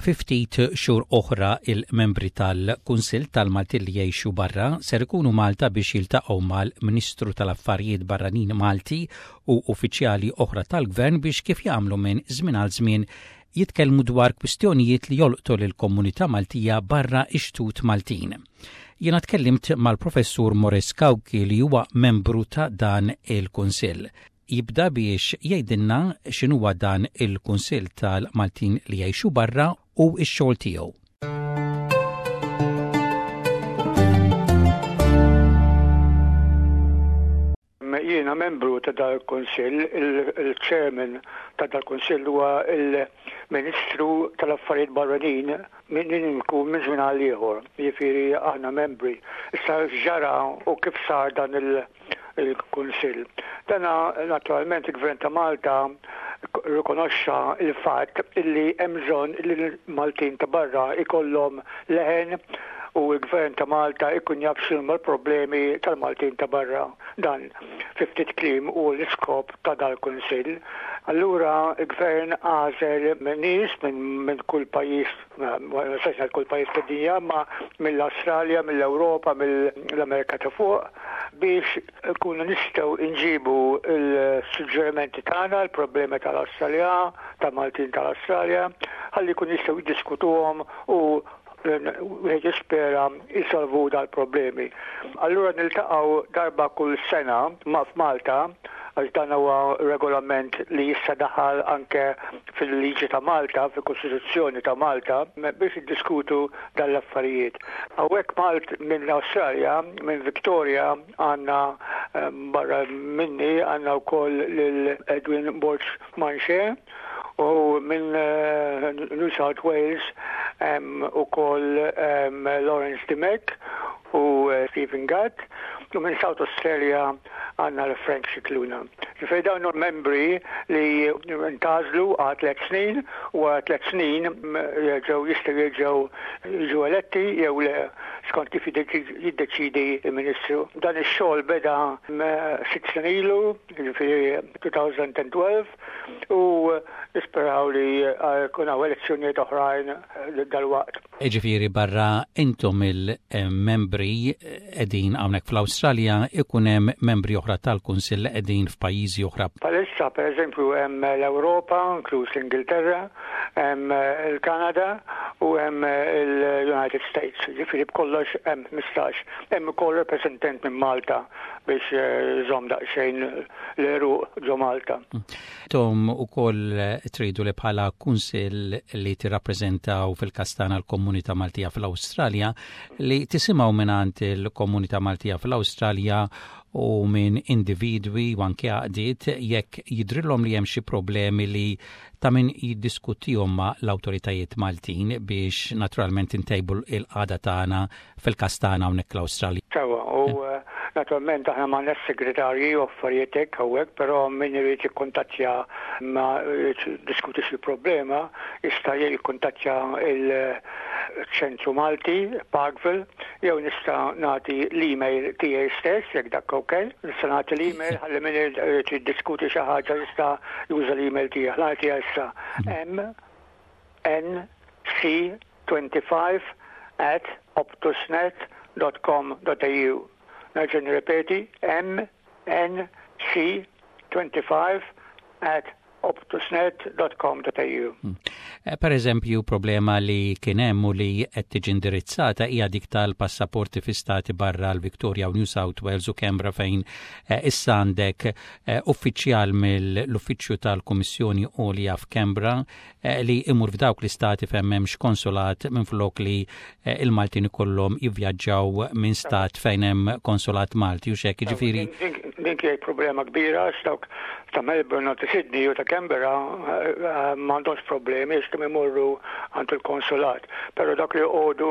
Fi ftit xhur oħra il-membri tal-Kunsill tal-Maltin li jgħixu barra ser ikunu Malta biex jiltaqgħu mal-Ministru tal-Affarijiet Barranin Malti u uffiċjali oħra tal-Gvern biex kif jagħmlu minn żmien għal żmien jitkellmu dwar kwistjonijiet li jolqtu lill-komunità Maltija barra x-xtut Maltin. Jiena tkellimt mal-Professur Maurice Cauchi li huwa membru ta' dan il-Kunsill. Jibda biex jgħidilna x'inhuwa dan il-Kunsill tal-Maltin li jgħixu barra u x-xogħol tiegħu. Jiena membru ta' dal-Kunsill, il-chairman ta' dal-Kunsill huwa il-Ministru tal-Affarijiet Barranin min inkun minn żmien għal ieħor, jiġifieri aħna membri. Issa x'ġara u kif sar dan il- il-Kunsill. Dana naturalment il-Gvern ta' Malta rikonoxxa il-fatt illi hemm bżonn li l-Maltin ta' barra ikollhom leħen u l-Gvern ta' Malta ikun jaf x'inhuma l-problemi tal-Maltin ta' barra. Dan fi ftit kliem hu l-iskop ta' dal-Kunsill. Allura l-Gvern għażel nies minn kull pajjiż, ma nistax ngħid kull pajjiż fid-dinja, imma mill-Awstralja, mill-Ewropa, mill-Amerika ta' fuq biex ikunu nistgħu nġibu l-suġġerimenti tagħna, l-problemi tal-Awstralja, tal-Maltin tal-Awstralja, ħalli jkunu jistgħu jiddiskutuhom u wieħed jispera jsolvu dal-problemi. Allura niltaqgħu darba kull sena ma' f'Malta għax dan huwa regolament li issa daħal anke fil-liġi ta' Malta, fil-Kostituzzjoni ta' Malta, biex iddiskutu dan l-affarijiet. Hawnhekk Malt minn Awstralja, minn Victoria, għandna barra minni għandna wkoll lil Edwin Borg Manche u minn New South Wales hemm ukoll Lawrence Dimech u Stephen Gatt u minn South Australia għandna l Frank Scicluna. Ġifieri dawn huma membri li ntgħażlu għal tliet snin u wara tliet snin jerġgħu jistgħu jerġgħu jiġu eletti jew le skont kif jiddeċiedi l-Ministru. Dan ix-xogħol beda sitt snin ilu, ġifieri 2012, u nisperaw li jkun hawn elezzjonijiet oħrajn dalwaqt. Jiġifieri barra intom il-membri qegħdin hawnhekk fl-Awstralja ikun hemm membri oħra tal-Kunsill li qegħdin f'pajjiżi oħra. Bħalissa pereżempju hemm l-Ewropa, inkluż l-Ingilterra, hemm il-Kanada u hemm il-United States. Jiġifieri b'kollox hemm 15. Hemm ukoll rappreżentant minn Malta biex iżomm daqsxejn l-għeruq ġo Malta. Intom ukoll tridu li bħala kunsill li tirrappreżentaw fil-każ tagħna l-komunità Maltija fl-Awstralja li tisimgħu mingħand il-komunità Maltija fl-Awstralja u minn individwi u anke għaqdiet jekk jidhrilhom li hemm xi problemi li ta' min jiddiskutihom ma' l-awtoritajiet Maltin biex naturalment intejbu l-qagħda tagħna fil-każ tagħna hawnhekk l-Awstralja. Sewwa, u naturalment aħna m'għandniex segretarji u affarijiet hekk hawnhekk, però min irid jikkuntattja ma jiddiskuti xi problema jista' jikkuntattja il-Ċentru Malti, Parkville, jew nista' nagħti l-email tiegħi stess jekk dak ok. Nista' nagħti l-email ħalli min irid jiddiskuti xi ħaġa jista' juża l-email tiegħi. Nagħtiha issa. M N C 25 at optusnet dot com dot au. Nerġa' nirrepeti, M N C 25 at optusnet dot com dot au. Eh, per eżempju, problema li kien hemm u li qed tiġi indirizzata hija dik tal-passaporti fi stati barra l-Victoria u New South Wales u Canberra fejn eh, issa għandek eh, uffiċjal mill-Uffiċċju tal-Kummissjoni Għolja f'Canberra Eh, li imur f'dawk l-istati fejn m'hemmx konsulat minflok li eh, il-Maltin ikollhom jivvjaġġaw minn stat fejn hemm konsulat Malti u xek, jiġifieri. Din kienet problema kbira għax dawk ta' Melbourne u ta' Sydney u ta' Canberra eh, m'għandhomx problemi għax kemm imorru għand il-konsulat. Però dak li joqogħdu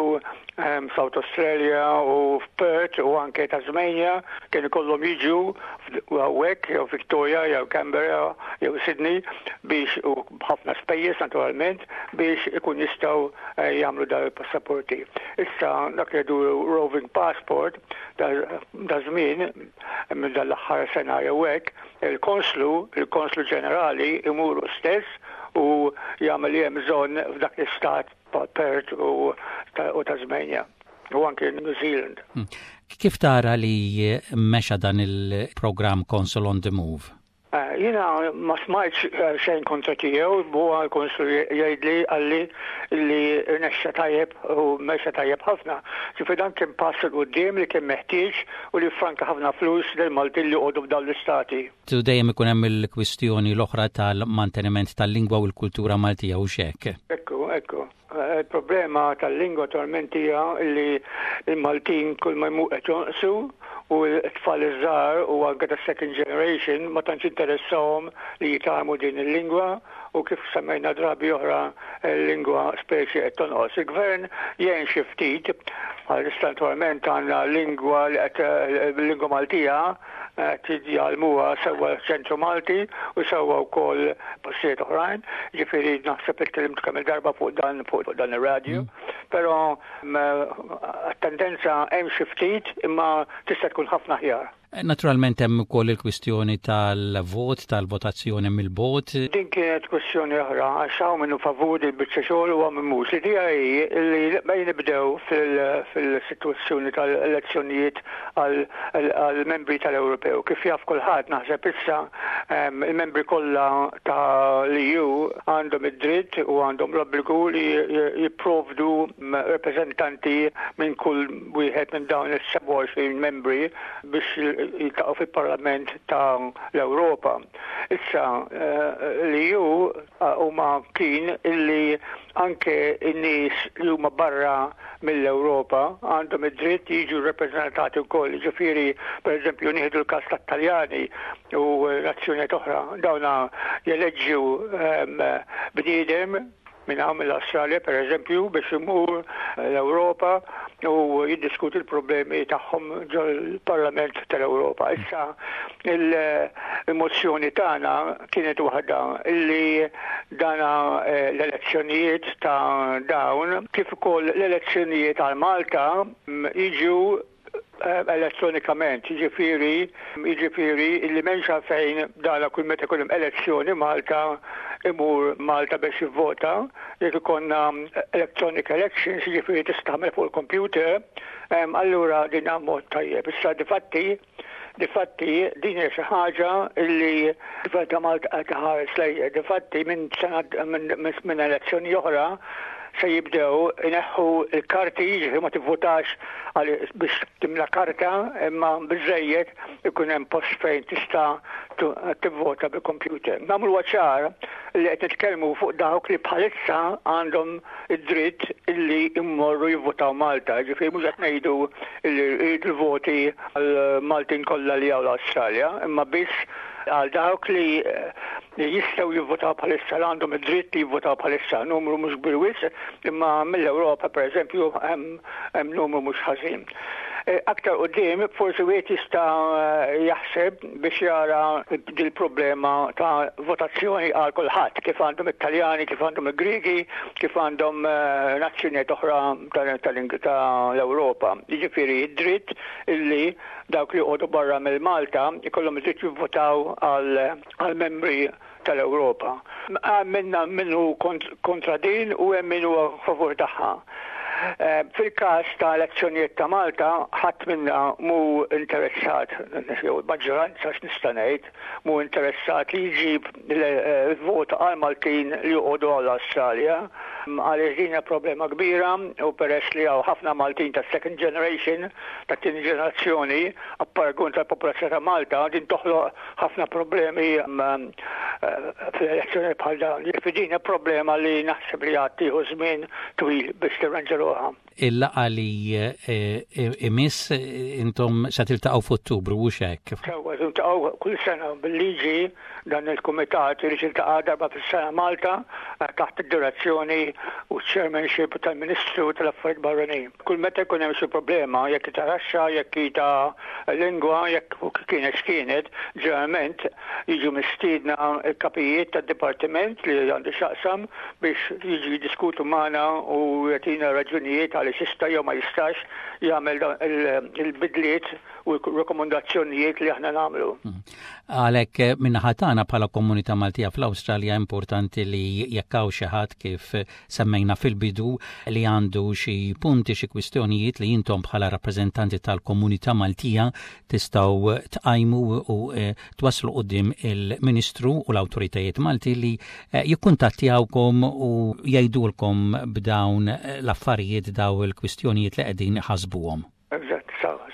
South Australia u f'Perth u anke Tasmania kien ikollhom jiġu hawnhekk jew Victoria jew Canberra jew Sydney biex u b'ħafna spejjeż naturalment biex ikun jistgħu eh, jagħmlu dawn il-passaporti. Issa dak li jgħidu roving passport da żmien minn dan l-aħħar sena jew hekk, il-konslu, il-konslu ġenerali imuru stess u jagħmel li hemm bżonn f'dak l-istat. Perth u Tasmania u anke New Zealand. Kif tara li mexa dan il-programm Consul on the Move? Jiena ma smajtx xejn kontra tiegħu, huwa l-Konsul jgħidli qalli li rnexxa tajjeb u mexa tajjeb ħafna. Ġifieri dan kien pass 'il quddiem li kien meħtieġ u li ffranka ħafna flus lill-Maltin li joqogħdu f'dawn l-istati. U dejjem ikun hemm il-kwistjoni l-oħra tal-manteniment tal-lingwa u l-kultura Maltija, hux hekk? Ekku, ekku. Il-problema tal-lingwa attualment hija li l-Maltin kull ma jmur qed jonqsu u t-tfal iż-żgħar u anke tas-second generation ma tantx interessahom li jitgħallmu din il-lingwa u kif semmejna drabi oħra l-lingwa speċi qed tonqos. Il-gvern jgħin xi ftit għalissa attualment għandna lingwa li qed lingwa Maltija qed jgħallmuha sewwa ċ-Ċentru Malti u sewwa wkoll postijiet oħrajn. Ġifieri naħseb li tkellimt kemm il-darba fuq dan fuq dan ir-radju. Però t-tendenza hemm xi ftit imma tista' tkun ħafna aħjar. Naturalment hemm ukoll il-kwistjoni tal-vot, tal-votazzjoni mill-bogħod. Din kienet kwistjoni oħra għax hawn min hu favur il-biċċa xogħol u hawn min mhux. L-idea hi li bejn nibdew fil-sitwazzjoni tal-elezzjonijiet għall-membri tal-Ewropew. Kif jaf kulħadd naħseb issa il-membri kollha tal-EU għandhom id-dritt u għandhom l-obbligu li jipprovdu rappreżentanti minn kull wieħed minn dawn is-27 membri biex jiltaqgħu fil-Parlament ta' l-Ewropa. Issa l-EU huma kien illi anke n-nies li huma barra mill-Ewropa għandhom id-dritt jiġu rrappreżentati wkoll. Jiġifieri, pereżempju, nieħdu l-każ tat-Taljani u nazzjonijiet oħra, dawna jeleġġu bniedem minn hawn mill-Awstralja pereżempju biex imur l-Ewropa u jiddiskuti l-problemi tagħhom ġol-Parlament tal-Ewropa. Issa il-mozzjoni tagħna kienet waħda li dana eh, l-elezzjonijiet ta' dawn kif ukoll l-elezzjonijiet għal Malta mm, jiġu eh, elettronikament, jiġifieri jiġifieri li m'hemmx għalfejn dana kull meta jkun hemm elezzjoni Malta imur Malta biex jivvota, jekk ikollna electronic elections, jiġifieri tista' tagħmel fuq il-computer, allura din mod tajjeb. Issa difatti Difatti din hija xi ħaġa li l-Gvern ta' Malta qed iħares lejha. Difatti minn sena minn elezzjoni oħra se jibdew ineħħu l-karti, jiġifieri ma tivvutax biex timla karta, imma biżżejjed ikun hemm post fejn tista' tivvota bil-computer. Nagħmluha ċar li qed nitkellmu fuq dawk li bħalissa għandhom id-dritt illi jmorru jivvutaw Malta, ġifieri mhux qed ngħidu illi rridu l-voti għal Maltin kollha li hawn l-Awstralja, imma biss għal dawk li jistgħu jivvutaw bħalissa, li għandhom id-dritt li jivvutaw bħalissa, numru mhux kbir wisq, imma mill-Ewropa pereżempju hemm numru mhux ħażin. Eh, aktar qudiem forsi wieħed jista' jaħseb biex jara dil-problema ta' votazzjoni għal kulħadd, kif għandhom it-Taljani, kif għandhom il-Griegi, kif għandhom eh, nazzjonijiet oħra tal-Ewropa. Jiġifieri id-dritt illi dawk li joqogħdu barra mill-Malta jkollhom id-dritt jivvotaw għal membri tal-Ewropa. Hemm minna min hu kontra din u hemm min huwa favur tagħha. Eh, fil-każ ta' elezzjonijiet ta' Malta, ħadd minna mhu interessat, jew maġġoranza x'nista' ngħid, mhu interessat li jġib il-vot eh, għal Maltin li joqogħdu għall Awstralja għaliex din hija problema kbira u peress li hawn ħafna Maltin ta' second generation, ta' tieni ġenerazzjoni, apparagun tal-popolazzjoni ta' Malta, din toħloq ħafna problemi mm, eh, fl-elezzjoni bħal dawn. Jiġifieri din problema li naħseb li għad tieħu żmien twil biex tirranġa ruħha. Il-laqgħa li eh, imiss intom se tiltaqgħu f'Ottubru u hekk. Sewwa tiltaqgħu kull sena bil-liġi dan il-kumitat irid jiltaqa' darba fis-sena Malta eh, taħt id-direzzjoni u chairmanship tal-Ministru tal-Affarijiet Barranin. Kull meta jkun hemm xi problema, jekk ta' taxxa, jekk hi ta' lingwa, jekk kienet x'kienet, ġeneralment jiġu mistiedna l-kapijiet tad-dipartiment li għandu x'jaqsam biex jiġu jiddiskutu magħna u jagħtina raġunijiet għaliex jista' jew ma jistax jagħmel il-bidliet u r-rakkomandazzjonijiet li aħna nagħmlu. Għalhekk min-naħa tagħna tagħna bħala komunità Maltija fl-Awstralja importanti li jekk hawn xi ħadd kif semmejna fil-bidu li għandu xi punti xi kwistjonijiet li intom bħala rappreżentanti tal-komunità Maltija tistgħu tqajmu u eh, twasslu quddiem il-Ministru u l-awtoritajiet Malti li eh, jikkuntattjawkom u jgħidulkom b'dawn l-affarijiet daw il-kwistjonijiet li qegħdin ħasbuhom. Eżatt, sawa, sawa.